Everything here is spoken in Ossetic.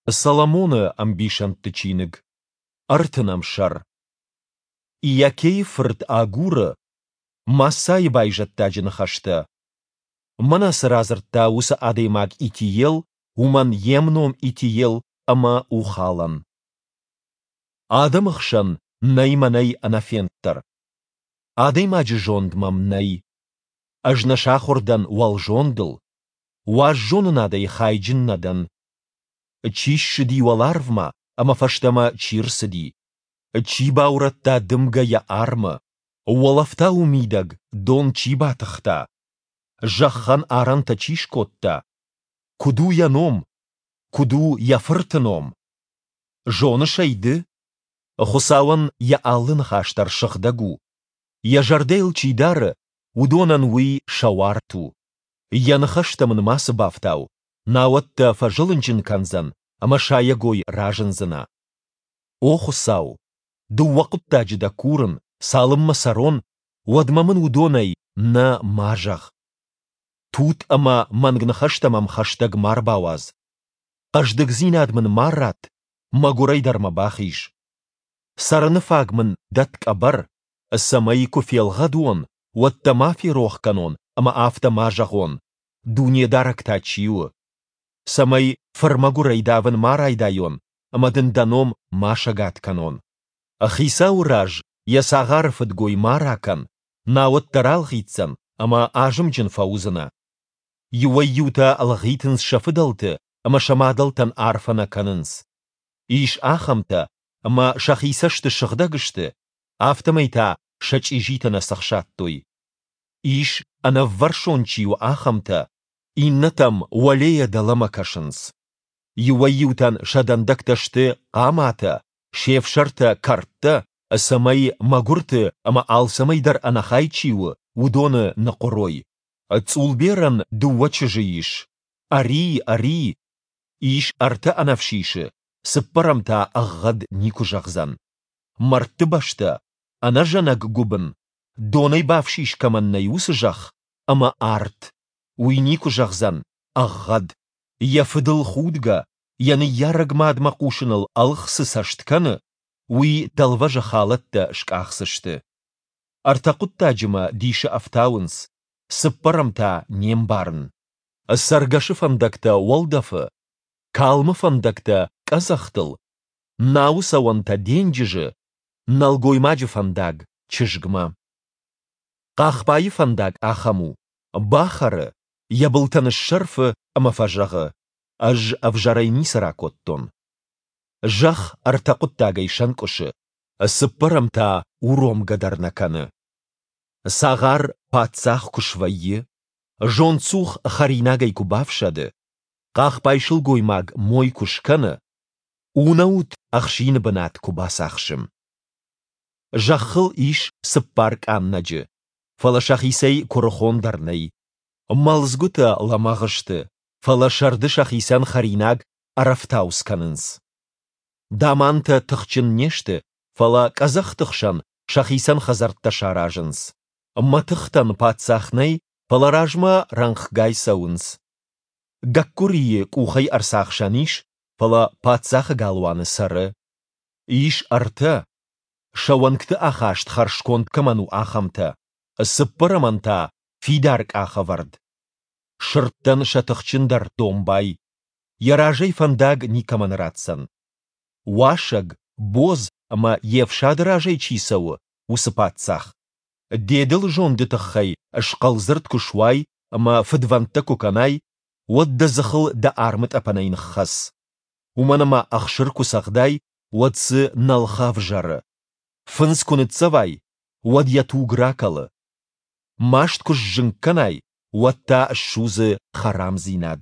Соломоны ӕмбисӕндты чиныг, ӕртынӕм сӕр. Иакейы фырт Агуры, Массӕйы байзӕддаджы ныхӕстӕ. Мӕнӕ цы радзырдта уыцы адӕймаг Итиел, уымӕн йе мном Итиел ӕмӕ Ухалӕн. Адӕмы хсӕн нӕй мӕнӕй ӕнӕфенддӕр. Адӕймаджы зонд мӕм нӕй. Ӕз нӕ сахуыр дӕн уӕлзондыл. Уаззонынадӕй хайджын нӕ дӕн. Чи ссыди уӕларвмӕ ӕмӕ фӕстӕмӕ чи рцыди? Чи баурӕдта дымгӕ йӕ армы? Уӕлӕфтауы мидӕг дон чи батыхта? Зӕххӕн арӕнтӕ чи скодта? Куыд у йӕ ном? Куыд у йӕ фырты ном? Зоныс ӕй ды? Хуыцауӕн йӕ алы ныхас дӕр сыгъдӕг у. Йӕ зӕрдӕ йыл чи дары, уыдонӕн уый сӕ уарт у. Йӕ ныхӕстӕм ын мацы бафтау, науӕд дӕ фӕзылынджын кӕндзӕн ӕмӕ сайӕгой разындзынӕ. О Хуыцау, дыууӕ хъуыддаджы дӕ курын, цалынмӕ цӕрон, уӕдмӕ мын уыдонӕй нӕ ма зӕгъ. Тутт ӕмӕ мӕнг ныхӕстӕ мӕм хӕстӕг ма рбауадз. Хъӕздыгдзинад мын ма ратт, мӕгуырӕй дӕр мӕ бахиз. Цӕрыны фаг мын дӕтт къӕбӕр, цӕмӕй, куы фелгъӕд уон, уӕд дӕ ма ферох кӕнон ӕмӕ афтӕ ма зӕгъон, Дунедарӕг та чи у? Цӕмӕй фырмӕгуырӕй давын ма райдайон ӕмӕ дын дӕ ном ма сӕгад кӕнон. Хицауы раз йӕ цагъары фыдгой ма ракӕн, науӕд дӕ ралгъитдзӕн ӕмӕ азымджын фӕуыдзынӕ. Иуӕй-иутӕ лгъитынц сӕ фыдӕлты ӕмӕ сӕ мадӕлтӕн арфӕ нӕ кӕнынц. Ис ахӕмтӕ, ӕмӕ сӕхи цӕсты сыгъдӕг сты, афтӕмӕй та сӕ чъизитӕ нӕ цӕхсадтой. Ис, ӕнӕввӕрсон чи у, ахӕмтӕ, иннӕтӕм уӕлейӕ дӕлӕмӕ кӕсынц. Иуӕй-иутӕн сӕ дӕндӕгтӕ сты хъаматӕ, се фсӕртӕ кӕрдтӕ, цӕмӕй мӕгуырты ӕмӕ алцӕмӕй дӕр ӕнӕхай чи у, уыдоны ныхъуырой. Цъулберӕн дыууӕ чызджы ис, ӕри, ӕри! Ис ӕртӕ ӕнӕфсисы, цыппӕрӕм та ӕгъгъӕд никуы зӕгъдзӕн. Мӕрдты бӕстӕ, ӕнӕзӕнӕг гуыбын, донӕй бафсис кӕмӕн нӕй, уыцы зӕхх ӕмӕ арт, уый никуы зӕгъдзӕн ӕгъгъӕд. Йӕ фыдыл худгӕ, йӕ ныййарӕг мадмӕ хъусыныл ӕлгъ цы цӕст кӕны, уый дӕлвӕзы халӕттӕ скъахдзысты. Ӕртӕ хъуыддаджы мӕ дисы ӕфтауынц, цыппӕрӕм та не мбарын. Цӕргӕсы фӕндӕгтӕ уӕлдӕфы, калмы фӕндӕгтӕ къӕдзӕхтыл, науы цӕуӕнтӕ денджызы, нӕлгоймаджы фӕндаг чызгмӕ. Хъахбайы фӕндаг ахӕм у, бахӕры, йӕ былтӕ ныссӕрфы ӕмӕ фӕзӕгъы, ӕз ӕвзӕрӕй ницы ракодтон. Зӕхх ӕртӕ хъуыддагӕй сӕнкъуысы, цыппӕрӕм та уромгӕ дӕр нӕ кӕны. Цагъар паддзах куы свӕййы, зондцух хӕринагӕй куы бафсӕды, хъахбай сылгоймаг мой куы скӕны, унӕут ӕхсины бынат куы бацахсы. Зӕххыл ис цыппар къаннӕджы, фӕлӕ сӕхицӕй куырыхондӕр нӕй. Мӕлдзгуытӕ лӕмӕгъ сты, фӕлӕ сӕрды сӕхицӕн хӕринаг ӕрӕфтауц кӕнынц. Дамантӕ тыхджын не сты, фӕлӕ къӕдзӕхты хсӕн сӕхицӕн хӕдзӕрттӕ саразынц. Мӕтыхтӕн паддзах нӕй, фӕлӕ размӕ рӕнхъгай цӕуынц. Гӕккуырийы къухӕй ӕрцахсӕн ис, фӕлӕ паддзахы галуаны цӕры. Ис ӕртӕ, сӕ уӕнгты ахаст хӕрзконд кӕмӕн у, ахӕмтӕ, цыппӕрӕмӕн та фидар къахӕвӕрд. Сырдтӕн сӕ тыхджындӕр домбай. Йӕ разӕй фӕндаг никӕмӕн ратдзӕн. Уасӕг, бодз ӕмӕ йе фсады разӕй чи цӕуы, уыцы паддзах. Де дылы зонды тыххӕй схъӕлдзырд куы суай ӕмӕ фыдвӕндтӕ куы кӕнай, уӕд дӕ дзыхыл дӕ армытъӕпӕнӕй ныххӕц. Уымӕн ӕмӕ ӕхсыр куы цӕгъдай, уӕд дзы нӕлхӕ ӕвзӕры. Фындз куы ныццӕвай, уӕд йӕ туг ракӕлы. Маст куы сзынг кӕнай, уӕд та ссудзы хӕрамдзинад.